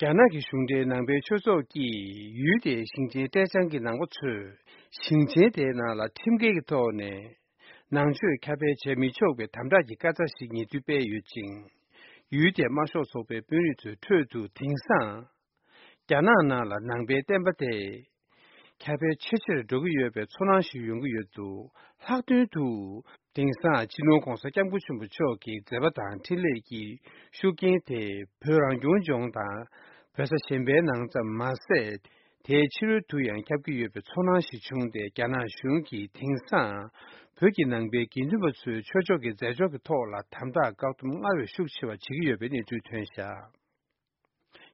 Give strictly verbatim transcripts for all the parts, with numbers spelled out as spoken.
རྒྱ་ནག་གི་གཞུང་འབྲེལ་ནང་པའི་ཆོས་ཚོགས་ཀྱིས་ཡུལ་དེའི་ཞིང་ཆེན་ཀྲེ་ཅང་གི་ནང་པ་ཚོས་ཞིང་ཆེན་དེའི་ནང་ལ་ཁྲིམས་འགལ་གྱི་ཐོག་ནས་ནང་ཆོས་ཁྱབ་སྤེལ་བྱེད་མི་ཆོག་པའི་དམ་དྲག་གི་བཀའ་རྩ་ཞིག་ཉེ་དུས་སྤེལ་ཡོད་ཅིང་། ཡུལ་དེའི་དམར་ཤོག་ཚོགས་པའི་དཔོན་རིགས་ཚོའི་ཁྲོད་དུ་དེང་སང་རྒྱ་ནག་ནང་ལ་ནང་པའི་བསྟན་པ་དེ་ཁྱབ་སྤེལ་ཆེས་ཆེར་འགྲོ་གི་ཡོད་པའི་ཚོར་སྣང་ཞིག་ཡོང་གི་ཡོད་འདུག་ལྷག་དོན་དུ། དེང་སང་སྤྱི་ནོར་༧གོང་ས་༧སྐྱབས་མགོན་ཆེན་པོ་མཆོག་གི་མཛད་པ་དང་འཕྲིན་ལས་ཀྱི་ཤུགས་རྐྱེན་དེ་བོད་རང་སྐྱོང་ལྗོངས་དང་བོད་ས་གཞན་པའི་ནང་ཙམ་མ་ཟད། དེའི་ཕྱི་རོལ་དུ་ཡང་ཁྱབ་ཀྱི་ཡོད་པའི་ཚོར་སྣང་ཞིག་བྱུང་སྟེ། རྒྱ་ནག་གཞུང་གིས་དེང་སང་བོད་ཀྱི་ནང་པའི་དགེ་འདུན་པ་ཚོའི་ཆོས་ཕྱོགས་ཀྱི་མཛད་ཕྱོགས་ཀྱི་ཐོག་ལ་དམ་དྲག་བཀག་སྡོམ་སྔར་བས་ཤུགས་ཆེ་བ་བྱེད་ཀྱི་ཡོད་པའི་གནས་ཚུལ་ཐོན་བཞག་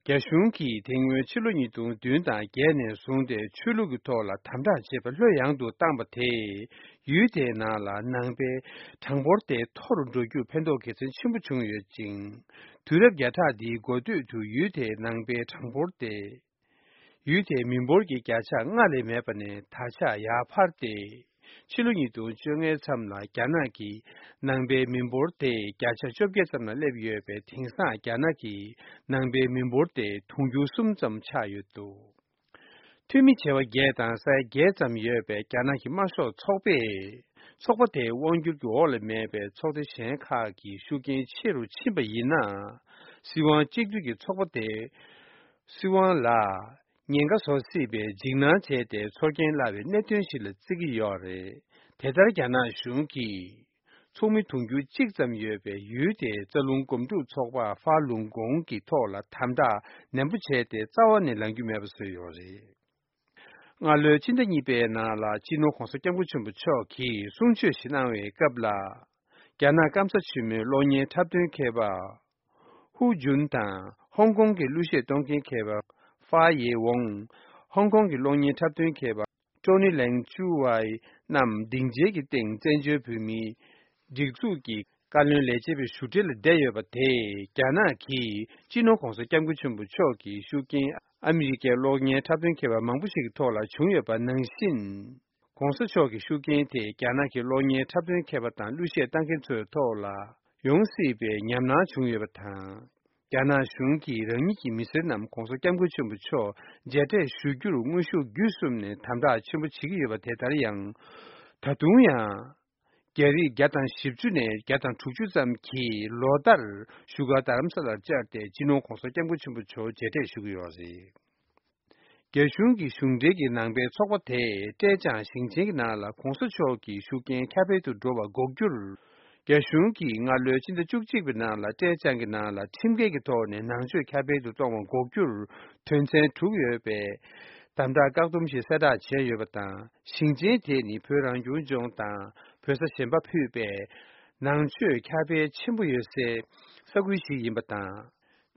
རྒྱ་གཞུང་གིས་དེ་སྔོན་ཕྱི་ལོ་ཉིས་སྟོང་བདུན་དང་བརྒྱད་ནས་བཟུང་སྟེ་ཆོས་ལུགས་ཀྱི་ཐོག་ལ་དམ་དྲག་བྱེད་པ་ལྷོད་ཡངས་དུ་བཏང་བ་དེས། ཡུལ་དེའི་ནང་ལ་ནང་པའི་གྲངས་འབོར་དེ་མཐོ་རུ་འགྲོ་རྒྱུར་ཕན་ཐོགས་དགེ་མཚན་ཆེན་པོ་བྱུང་ཡོད་ཅིང་། དུས་རབས་བརྒྱ་ཕྲག་འདིའི་འགོ་སྟོད་དུ་ཡུལ་དེའི་ནང་པའི་གྲངས་འབོར་དེ། ཡུལ་དེའི་མི་འབོར་གྱི་བརྒྱ་ཆ་ལྔ་ལས་མེད་པ་ནས་ད་ཆ་ཡར་འཕར་ཏེ། ཕྱི་ལོ་ཉིས་སྟོང་བཅོ་ལྔའི་མཚམས་ལ་རྒྱ་ནག་གི་ནང་པའི་མི་འབོར་དེ་བརྒྱ་ཆ་བཅོ་བརྒྱད་ཙམ་ལ་སླེབས་ཡོད་པས། དེང་སང་རྒྱ་ནག་གི་ནང་པའི་མི་འབོར་དེ་དུང་ཕྱུར་གསུམ་ཙམ་ཆགས་ཡོད་འདུག་འཐུས་མི་བྱེ་བ་བརྒྱད་དང་ས་ཡ་བརྒྱད་ཙམ་ཡོད་པའི་རྒྱ་ནག་གི་དམར་ཤོག་ཚོགས་པས། ཚོགས་པ་དེའི་དབང་སྒྱུར་གྱི་འོག་ལ་མེད་པའི་ཚོགས་སྡེ་གཞན་ཁག་གི་ཤུགས་རྐྱེན་ཆེ་རུ་ཕྱིན་པ་ཡིན་ན། སྲིད་དབང་གཅིག་སྡུད་ཀྱི་ཚོགས་པ་དེ། སྲིད་དབང་ལ་ཉེན་ཁ་བཟོ་སྲིད་པའི་འཇིགས་སྣང་བྱས་ཏེ། ཚོར་སྐྱེན་སླ་བའི་གནད་དོན་ཞིག་ལ་བརྩི་གི་ཡོད་རེད། དེ་ལྟར་རྒྱ་ནག་གཞུང་གིས་ཚོགས་མི་དུང་ཕྱུར་གཅིག་ཙམ་ཡོད་པའི་ཡུལ་དེའི་རྩ་རླུང་སྒོམ་སྒྲུབ་ཚོགས་པ་ཧྥ་ལུང་གོང་གི་ཐོག་ལ་དམ་དྲག་ནན་པོ་བྱས་ཏེ། རྩ་བ་ནས་ལངས་རྒྱུ་མེད་པ་བཟོས་ཡོད་རེད། སྔ་ལོའི་ཕྱི་ཟླ་གཉིས་པའི་ནང་ལ་སྤྱི་ནོར་༧གོང་ས་༧སྐྱབས་མགོན་ཆེན་པོ་མཆོག་གིས་གསུང་ཆོས་ཤིག་གནང་བའི་སྐབས་ལ། རྒྱ་ནག་སྐམ་ས་ཆེན་མོའི་གློག་བརྙན་འཁྲབ་སྟོན་མཁས་པ་ཧུའུ་ཇུན་དང་། ཧོང་ཀོང་གི་གླུ་གཞས་གཏོང་མཁན་མཁས་པ་ཧྥ་ཡེ་ཝོང་། ཧོང་ཀོང་གི་གློག་བརྙན་འཁྲབ་སྟོན་མཁས་པ་ཀྲོ་ནི་ལེང་ཅུའུ་ཝའི་རྣམས་སྡིངས་ཆའི་གི་སྟེང་བཙན་བྱོལ་བོད་མིའི་སྒྲིག་འཛུགས་ཀྱི་བཀའ་བློན་ལས་བྱེད་པའི་བཞུགས་གྲལ་ལ་བསྡད་ཡོད་པ་དེས། རྒྱ་ནག་གིས་སྤྱི་ནོར་༧གོང་ས་༧སྐྱབས་མགོན་ཆེན་པོ་མཆོག་གི་ཤུགས་རྐྱེན་ཨ་མི་རི་ཀའི་གློག་བརྙན་འཁྲབ་སྟོན་མཁས་པ་མང་པོ་ཞིག་གི་ཐོག་ལ་བྱུང་ཡོད་པ་ནང་བཞིན། ༸གོང་ས་མཆོག་གི་ཤུགས་རྐྱེན་དེས་རྒྱ་ནག་གི་གློག་བརྙན་འཁྲབ་སྟོན་མཁས་པ་དང་གླུ་གཞས་བཏང་མཁན་ཚོའི་ཐོག་ལ་ཡོང་སྲིད་པའི་ཉམས་སྣང་བྱུང་ཡོད་པ་དང་། རྒྱ་ནག་གཞུང་གིས་རང་ཉིད་ཀྱི་མི་སེར་རྣམས་༸གོང་ས་༸སྐྱབས་མགོན་ཆེན་པོ་མཆོག་མཇལ་འཕྲད་ཞུ་རྒྱུར་དངོས་ཤུགས་བརྒྱུད་གསུམ་ནས་དམ་དྲག་ཆེན་པོ་བྱེད་ཀྱི་ཡོད་པ། དེ་ལྟར་ཡང་། ད་དུང་ཡང་། རྒྱ་རིགས་བརྒྱ་དང་བཞི་བཅུ་ནས་བརྒྱ་དང་དྲུག་ཅུ་ཙམ་གྱིས་ལོ་ལྟར་བཞུགས་སྒར་རྡ་རམ་ས་ལར་བཅར་ཏེ། སྤྱི་ནོར་༸གོང་ས་༸སྐྱབས་མགོན་ཆེན་པོ་མཆོག་མཇལ་འཕྲད་ཞུ་གི་ཡོད་རེད། རྒྱ་གཞུང་གི་གཞུང་འབྲེལ་གྱི་ནང་པའི་ཚོགས་པ་དེས་ཀྲེ་ཅང་ཞིང་ཆེན་གྱི་ནང་ལ་༸གོང་ས་མཆོག་གི་ཤུགས་རྐྱེན་ཁྱབ་སྤེལ་དུ་འགྲོ་བ་འགོག་རྒྱུར། རྒྱ་གཞུང་གིས་སྔ་ལོའི་ཕྱི་ཟླ་བཅུ་གཅིག་པའི་ནང་ལ་ཀྲེ་ཅང་གི་ནང་ལ་ཁྲིམས་འགལ་གྱི་ཐོག་ནས་ནང་ཆོས་ཁྱབ་སྤེལ་དུ་གཏོང་བ་འགོག་རྒྱུར་དོན་ཚན་དྲུག་ཡོད་པའི་དམ་དྲག་བཀག་སྡོམ་ཞིག་གསལ་བསྒྲགས་བྱས་ཡོད་པ་དང་། ཞིང་ཆེན་དེ་ནི་བོད་རང་སྐྱོང་ལྗོངས་དང་བོད་ས་གཞན་པ་ཕུད་པའི་ནང་ཆོས་ཁྱབ་སྤེལ་ཆེན་པོ་ཡོད་སའི་ས་ཁུལ་ཞིག་ཡིན་པ་དང་།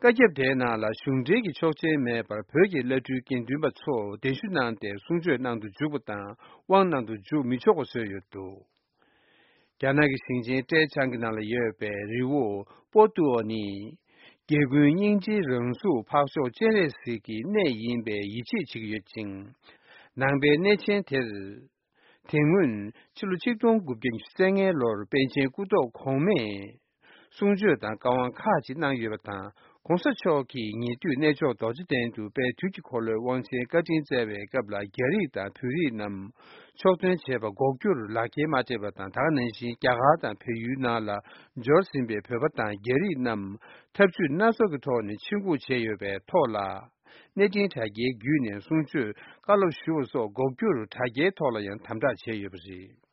བཀའ་ཁྱབ་དེའི་ནང་ལ་གཞུང་འབྲེལ་གྱི་ཆོག་མཆན་མེད་པར་བོད་ཀྱི་བླ་སྤྲུལ་དགེ་འདུན་པ་ཚོ་གདན་ཞུ་གནང་སྟེ་གསུང་ཆོས་གནང་དུ་འཇུག་པ་དང་དབང་གནང་དུ་འཇུག་མི་ཆོག་པ་བཟོས་ཡོད་འདུག་རྒྱ་ནག་གི་ཞིང་ཆེན་ཀྲེ་ཅང་གི་ནང་ལ་ཡོད་པའི་རི་བོ་པོ་ཏུའོ་ནི། རྒྱལ་ཀུན་སྙིང་རྗེའི་རང་གཟུགས་འཕགས་མཆོག་སྤྱན་རས་གཟིགས་ཀྱི་གནས་ཡིན་པའི་ཡིད་ཆེས་བྱེད་ཀྱི་ཡོད་ཅིང་། ནང་པའི་གནས་ཆེན་དེར། དེ་སྔོན་ཕྱི་ལོ་ཆིག་སྟོང་དགུ་བརྒྱ་ཉི་ཤུ་རྩ་ལྔའི་ལོར་པཎ་ཆེན་སྐུ་ཐོག་གོང་མས་གསུང་ཆོས་དང་བཀའ་དབང་ཁག་ཅིག་གནང་ཡོད་པ་དང་། ༸གོང་ས་མཆོག་གིས་ཉེ་དུས་གནས་མཆོག་རྡོ་རྗེ་གདན་དུ་དཔལ་དུས་ཀྱི་འཁོར་ལོའི་དབང་ཆེན་བཀའ་དྲིན་སྩལ་བའི་སྐབས་ལ། རྒྱ་རིགས་དང་བོད་རིགས་རྣམས་ཕྱོགས་སྟོན་བྱས་པ་འགོག་རྒྱུར་ལག་འཁྱེར་མ་སྤྲད་པ་དང་། ད་ག་ནང་བཞིན་རྒྱ་གར་དང་བལ་ཡུལ་ནང་ལ་འབྱོར་ཟིན་པའི་བོད་པ་དང་རྒྱ་རིགས་རྣམས་ཐབས་ཇུས་སྣ་ཚོགས་ཀྱི་ཐོག་ནས་ཆིབས་འགོག་བྱས་ཡོད་པའི་ཐོག་ལ། གནས་འཕྲིན་དྲ་རྒྱའི་བརྒྱུད་ནས་གསུང་ཆོས་བཀའ་སློབ་ཞུ་བ་སོགས་འགོག་རྒྱུར་དྲ་རྒྱའི་ཐོག་ལ་ཡང་དམ་དྲག་བྱས་ཡོད་པ་རེད།